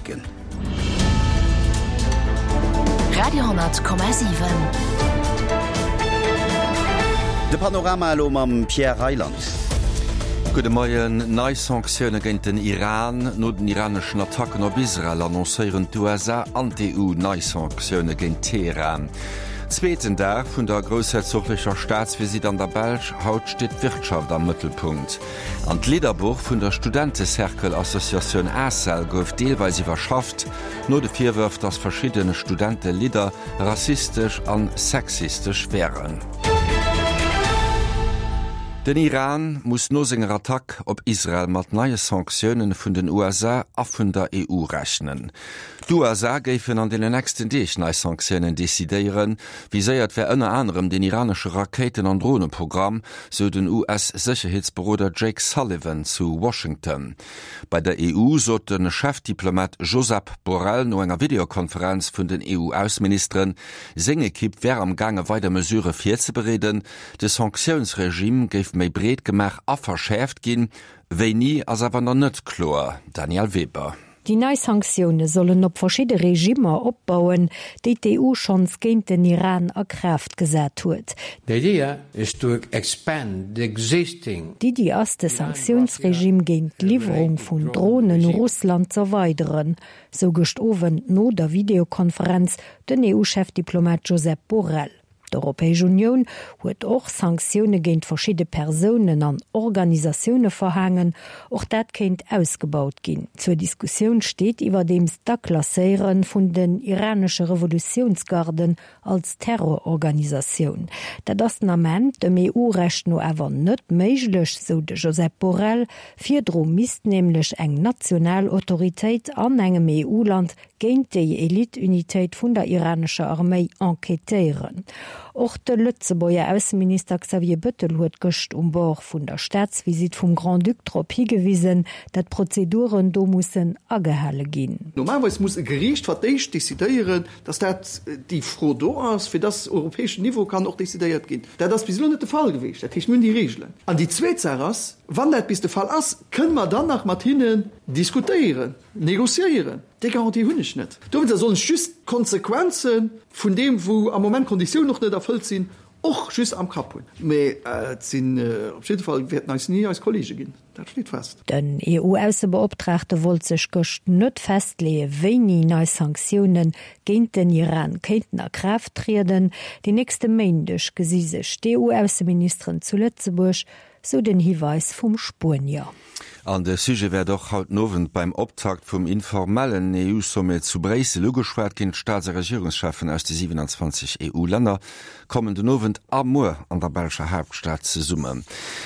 Biltgen. Radio,7. De Panorama elo mam Pierre Reyland. Gudde Moien. Nei Sanktioune géint den Iran. No den iraneschen Attacken op Israel annoncéieren d'USA an d'EU nei Sanktioune géint Teheran. Zweeten Dag vun der groussherzoglecher Staatsvisitt an der Belsch, Haut steet d'Wirtschaft am Mëttelpunkt. An d'Lidderbuch vun der Studentecercle-Associatioun ACEL gouf deelweis iwwerschafft, no de Virwërf, datt verschidde Studentelidder rassistesch an sexistesch wären. Den Iran muss no senger Attack op Israel mat neie Sanktioune vun den USA a vun der EU rechnen. D'USA géifen an deenen nächsten Deeg nei Sanktiounen decidéieren. Viséiert wär ënner anerem den iranesche Rakéiten an Droneprogramm, sou den US-Sécherheetsberoder Jake Sullivan zu Washington. Bei der EU sot de Chefdiplomat Josep Borrell no enger Videokonferenz vun den EU-Ausseministeren, seng Ekipp wär am gaange weider Mesurë virzebereeden. De Sanktiounsregime géif méi breet gemaach a verschäerft ginn. Wéini ass awer nach net kloer. Danièle Weber. Déi nei Sanktioune sollen op verschidde Regimmer opbauen, déi d'EU schonns géint den Iran a Kraaft gesat huet. The idea is to expand the existing. D'Iddi ass, de Sanktiounsregime géint d'Liwwerung vun Dronen u Russland z'erweideren, sou gëscht Owend no der Videokonferenz den EU-Chefdiplomat Josep Borrell. D'Europäesch Unioun huet och Sanktioune géint verschidde Persounen an Organisatioune verhaangen. Och dat kéint ausgebaut ginn. Zur Diskussioun steet iwwerdeems d'Aklasséiere vun den iranesche Revolutiounsgarden als Terrororganisatioun. Dat ass den Ament dem EU-Recht no awer net méiglech, sou de Josep Borrell. Virdru misst nämlech eng national Autoritéit an engem EU-Land géint déi Elite-Unitéit vun der iranescher Arméi enquêtéieren. Och de Lëtzebuerger Ausseminister Xavier Bëttel huet gëscht um Bord vun der Staatsvisitt vum Grand-Duc drop higewisen, dat d'Prozeduren do mussen agehale ginn. Normalerweis muss e Geriicht fir d'éischt decidéieren, dass dat déi Fro do ass, fir dass europäeschen Niveau kann och decidéiert ginn. Dat ass bis elo net de Fall gewiescht. Dat heescht, mir hunn déi Regelen. An déi zweet Saach ass, wann dat bis de Fall ass, kënne mer dann nach mat hinnen diskutéieren, négociéieren. Déi Garantie hunn ech net. Dowéinster soll ech just d'Konsequenze vun deem, wou am Moment d'Konditiounen och net erfëllt sinn, och just am Kapp hunn. Mee et sinn op jidde Fall, wäerten eis ni eis Kollege ginn, dat steet fest. Den EU-Aussebeoptraagte wollt sech gëscht net festleeë wéini nei Sanktioune géint den Iran kéinten a Kraaft trieden. Den nächste Méindeg gesi sech d'EU-Ausseministeren zu Lëtzebuerg, sou den Hiweis vum Spuenier. An de Sujet wäert och haut den Owend beim Optakt vum informellen EU-Sommet zu Bréissel ugeschwat ginn. D'Staats a Regierungscheffen aus de 27 EU-Länner kommen den Owend a muer an der belscher Haaptstad zesummen.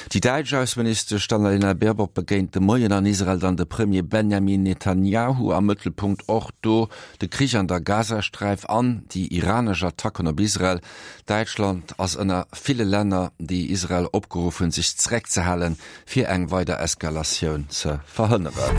Déi däitsch Ausseministesch Annalena Baerbock begéint de Moien an Israel dann de Premier Benjamin Netanjahu. Am Mëttelpunkt och do de Krich an der Gazasträif an déi iranesch Attacken op Israel. Däitschland ass ënner ville Länner, déi Israel opgeruff hunn, sech zeréckzehalen, fir eng weider Eskalatioun ze verhënneren.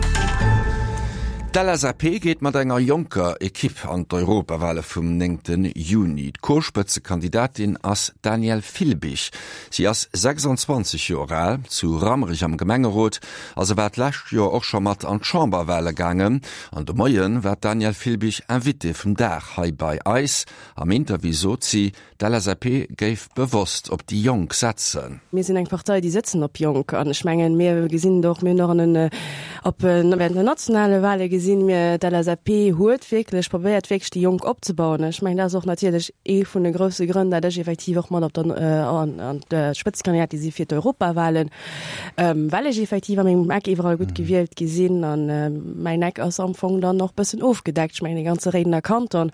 D'LSAP geet mat enger jonker Ekipp an d'Europawale vum néngte Juni. D'Co-Spëtzekandidatin ass d'Danièle Filbig. Si ass 26 Joer al, zu Rammerich am Gemengerot a se war d'lescht Joer och scho mat an d'Chamberwale gaangen. An de Moie war d'Danièle Filbig Invitée vum Dag hei bei eis. Am Interview sot si, D'LSAP géif bewosst op déi Jonk setzen. Mir sinn eng Partei, déi sëtzen op Jonk. An ech mengen, mir gesinn et och, mir hunn och an den, op während den nationale Wahle gesinn, mir, d'LSAP huet wierklech probéiert, wierklech déi Jonk opzebauen. Ech mengen, dat ass och natierlech ee vun de grousse Grënn, dat ech effektiv och mat op der, an, an d'Spëtzekandidatin si fir d'Europawahlen, well ech effektiv a mengem Eck iwwerall gutt gewielt gi sinn. An mäin Eck ass am Fong dann och bëssen ofgedeckt, ech mengen de ganze Réidener Kanton.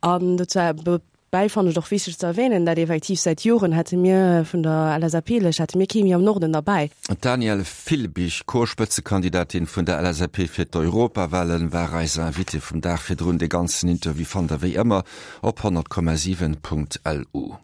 An dozou bäi fannen ech et och wichteg ze erwähnen, dat effektiv säit Joren hätte mir vun der LSAP-Lëscht hätte mir kee méi am Norden derbäi. D'Danièle Filbig, Co-Spëtzekandidatin vun der LSAP fir d'Europawahlen, war eis Invitée vum Dag virdrun. De ganzen Interview fannt der wéi ëmmer op 100,7.lu.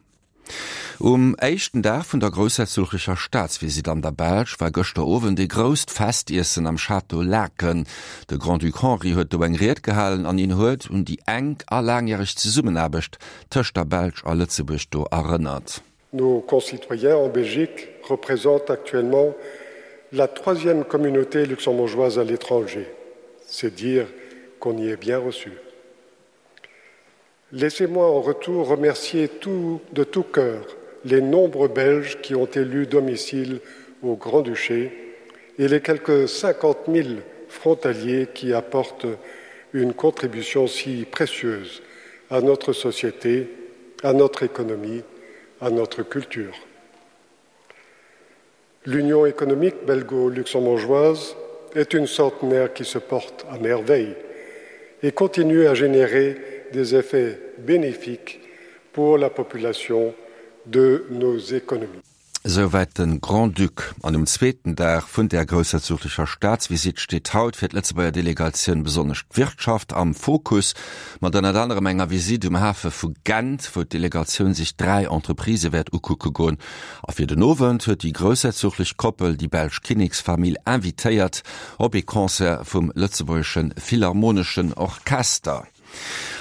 Um éischten Dag vun der groussherzoglecher Staatsvisitt an der Belsch war gëschter Owend ee grousst Festiessen am Château Laeken. De Grand-Duc Henri huet do eng Ried gehalen an hien huet un déi enk a laangjäreg Zesummenaarbecht tëscht der Belsch a Lëtzebuerg do erënnert. Nos concitoyens en Belgique représentent actuellement la troisième communauté luxembourgeoise à l'étranger. C'est dire. qu'on y est bien reçu. Laissez-moi en retour remercier tout, de tout cœur les nombreux Belges qui ont élu domicile au Grand-Duché et les quelques 50 000 frontaliers qui apportent une contribution si précieuse à notre société, à notre économie, à notre culture. L'union économique belgo-luxembourgeoise est une centenaire qui se porte à merveille et continue à générer des effets bénéfiques pour la population de nos économies. Souwäit de Grand-Duc. An um zweeten Dag vun där groussherzoglecher Staatsvisitt steet haut fir d'Lëtzebuerger Delegatioun besonnesch d'Wirtschaft am Fokus, mat ënnert anerem enger Visitt um Hafe vu Gent, wou d'Delegatioun sech 3 Entreprisë wäert ukucke goen. A fir den Owend huet déi groussherzoglech Koppel déi belsch Kinneksfamill invitéiert op ee Concert vum Lëtzebuergesche Philharmoneschen Orchester.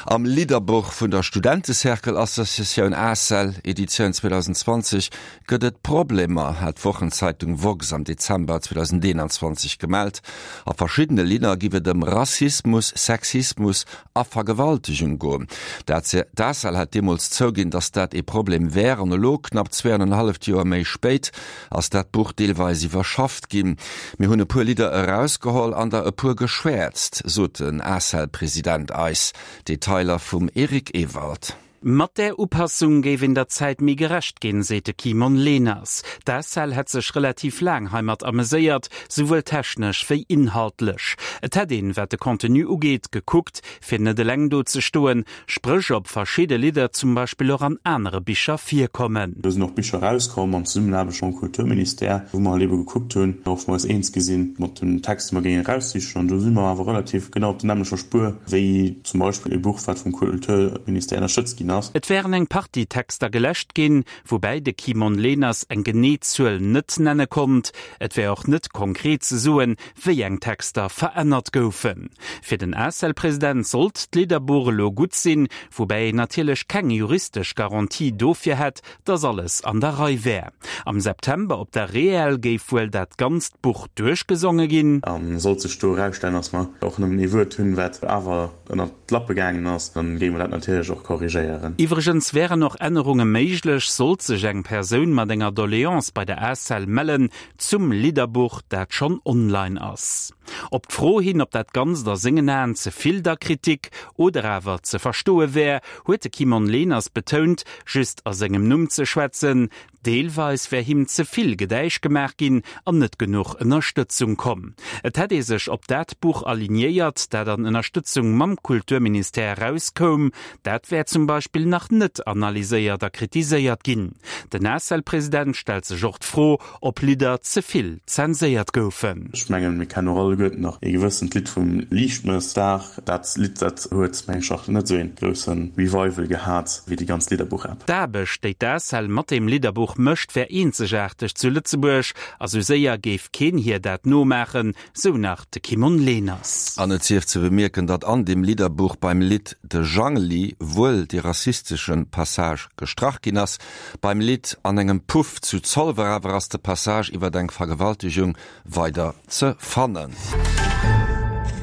Am Lidderbuch vun der Studentecercle-Associatioun ACEL, Editioun 2020, gëtt et Problemer, hat d'Wochenzeitung woxx am Dezember 2021 gemellt. A verschiddene Lidder giff et ëm Rassismus, Sexismus a Vergewaltegung goen. D'ACEL hat deemools zouginn, datt dat ee Problem wär an elo, knapp zweeanenhalleft Joer méi spéit, ass dat Buch deelweis iwwerschafft ginn. Mir hunn e puer Lidder erausgeholl an der e puer geschwäerzt, sot den ACEL-President eis. Detailer vum Eric Ewald. Mat där Upassung géif een der Zäit méi gerecht ginn, seet de Kimon Leners. D'ACEL hätt sech relativ laang heimat ameséiert, souwuel technesch wéi inhaltlech. Et hätt een, wat de Contenu ugeet, gekuckt, fir net eleng do ze stoen, Spréch ob verschidde Lidder zum Beispill och an anere Bicher virkommen. Do sinn och Bicher erauskomm an Zesummenaarbecht mam Kulturministère, wou mer halt ebe gekuckt hunn, och wou mer eis eens gi sinn mat den Texter, déi mer géingen eraussichen. An do si mer awer relativ genau op der nämmlecher Spuer wéi zum Beispill e Buch, wat vum Kulturministère ënnerstëtzt ginn ass. Et wären eng Partie Texter geläscht ginn, woubäi de Kimon Leners eng genee Zuel net nenne konnt. Et wär och net konkret ze soen, wéi eng Texter verännert goufen. Fir den ACEL-President sollt d'Lidderbuch elo gutt sinn, woubäi een natierlech keng juristesch Garantie dofir hätt, datt alles an der Rei wär. Am September op der REEL géif wuel dat ganzt Buch duerchgesonge ginn. A sollt sech do erausstellen, datt mer och nëmmen ee Wuert hunn, wat awer ënnert d'Lappe gaangen ass, da géinge mer dat natierlech och korrigéieren. Iwwregens wären och Ännerunge méiglech, sollt sech eng Persoun mat enger Doleance bei der ACEL mellen, Zum Lidderbuch, dat schonn online ass. Op d'Fro hin, ob dat Ganzt a sengen Aen ze vill der Kritik oder awer ze verstoe wär, huet de Kimon Leners betount, just a sengem Numm ze schwätzen. Deelweis wär him ze vill Gedäisch gemaach ginn an net genuch Ënnerstëtzung komm. Et hätt ee sech op dat Buch alignéiert, dat an Ënnerstëtzung mam Kulturministère erauskoum. Dat wär zum Beispill nach net analyséiert a kritiséiert ginn. Den ACEL-President stellt sech och d'Fro, ob Lidder ze vill zenséiert goufen. Ech mengen, mir kennen och alleguerten nach ee gewëssent Lidd vum Liichtmëssdag. Dat Lidd, dat huet, meng ech, och net esou ee grousse Revival gehat wéi déi ganz Lidderbuch-App. D'Aarbecht, déi d'ACEL mat deem Lidderbuch mécht, wär eenzegaarteg zu Lëtzebuerg a sou séier géif keen hir dat nomaachen, Sou nach de Kimon Leners. An et sief ze bemierken, datt an deem Lidderbuch beim Lidd De Jangeli wuel dee rassistesche Passage gestrach ginn ass, beim Lidd An engem Puff zu Zolwer awer ass de Passage iwwer eng Vergewaltegung weider ze fannen.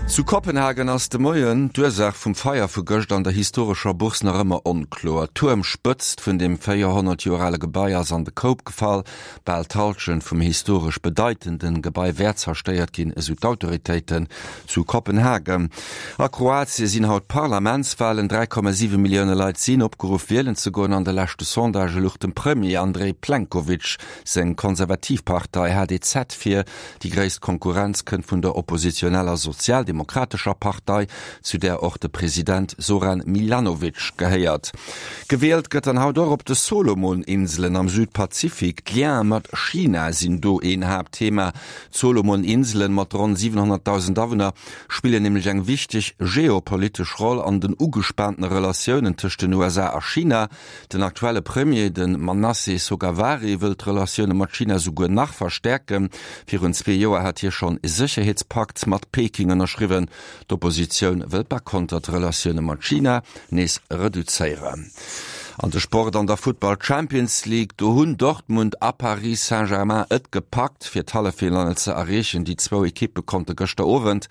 Zu Kopenhagen ass de Moien d'Ursaach vum Feier vu gëscht an der historescher Bourse nach ëmmer onkloer. D'Tuermspëtzt vun deem 400 Joer ale Gebai ass an de Koup gefall. Bal d'Hallschent vum historesch bedeitenden Gebai wär zerstéiert ginn, esou d'Autoritéiten zu Kopenhagen. A Kroatie sinn haut Parlamentswalen. 3,7 Millioune Leit sinn opgeruff wielen ze goen. An de leschte Sondagë luch dem Premier Andrej Plenkovic seng konservativ Partei HDZ vir. Déi gréisst Konkurrenz kënnt vun der oppositioneller Sozialdemokratescher Partei, zu där och de President Zoran Milanovic gehéiert. Gewielt gëtt dann haut och op de Solomon-Inselen am Südpazifik. D'Liene mat China sinn do een Haaptthema. D'Solomon-Inselen mat ronn 700.000 Awunner spillen nämlech eng wichteg geopolitesch Roll an den ugespaantene Relatiounen tëscht den USA a China. Den aktuelle Premier, de Manasseh Sogavare, wëll d'Relatioune mat China souguer nach verstäerken. Virun zwee Joer hat hie schonn e Sécherheetspakt mat Peking ënnerschriwwen. D'Oppositioun wëll par konter d'Relatioune mat China nees reduzéieren. An de Sport an der Futtball Champions League, do hunn Dortmund a Paris Saint-Germain et gepackt, fir d'Halleffinallen ze erreechen. Déi zwou Ekippe konnte gëschter Owend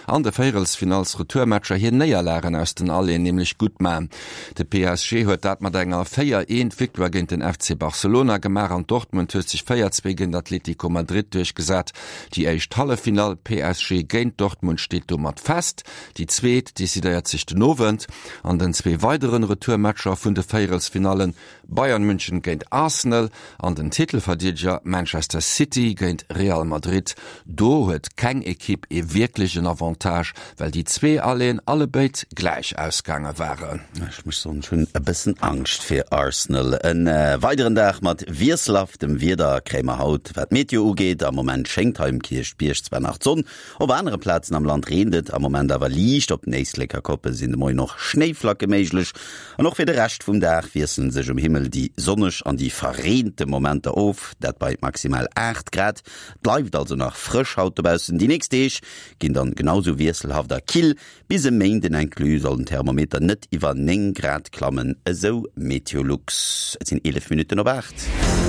an de Véierelsfinalls-Retourmatcher hir Néierlagen aus den Aller nämlech gutt man. De PSG huet dat mat enger 4, 1 Victoire géint den FC Barcelona gemaach an Dortmund huet sech 4, 2 géint Atlético Madrid duerchgesat. Déi éischt Halleffinall, PSG géint Dortmund, steet domat fest. Déi zweet decidéiert sech den Owend. An den zwee weideren Retourmatcher vun de Véierelsfinallen, Bayern München géint Arsenal an den Titelverdeedeger Manchester City géint Real Madrid, do huet keng Ekipp ee wierklechen Avantage, well déi zwee Alleen allebéid gläich ausgaange waren. Ech muss soen, ech hunn e bëssen Angscht fir Arsenal. E weideren Dag mat wiesselhaftem Wieder kréie mer haut, wat d'Meteo ugeet. Am Moment schéngt hei um Kierchbierg zwar nach d'Sonn, Op anere Plazen am Land reent et am Moment awer liicht, op den Éisleker Koppe sinn de Moien och Schnéiflacke méiglech. An och fir de Rescht vum Dag wiessele sech um Himmel déi sonneg an déi verreente Momenter of, dat bei maximal 8 Grad. Et bleift also nach frësch haut dobaussen. Déi nächst Deeg ginn dann genau sou wiesselhaft a kill. Bis e Méinden inclus soll den Thermometer net iwwer 9 Grad klammen, esou Meteolux. Et sinn 11 Minutten op 8.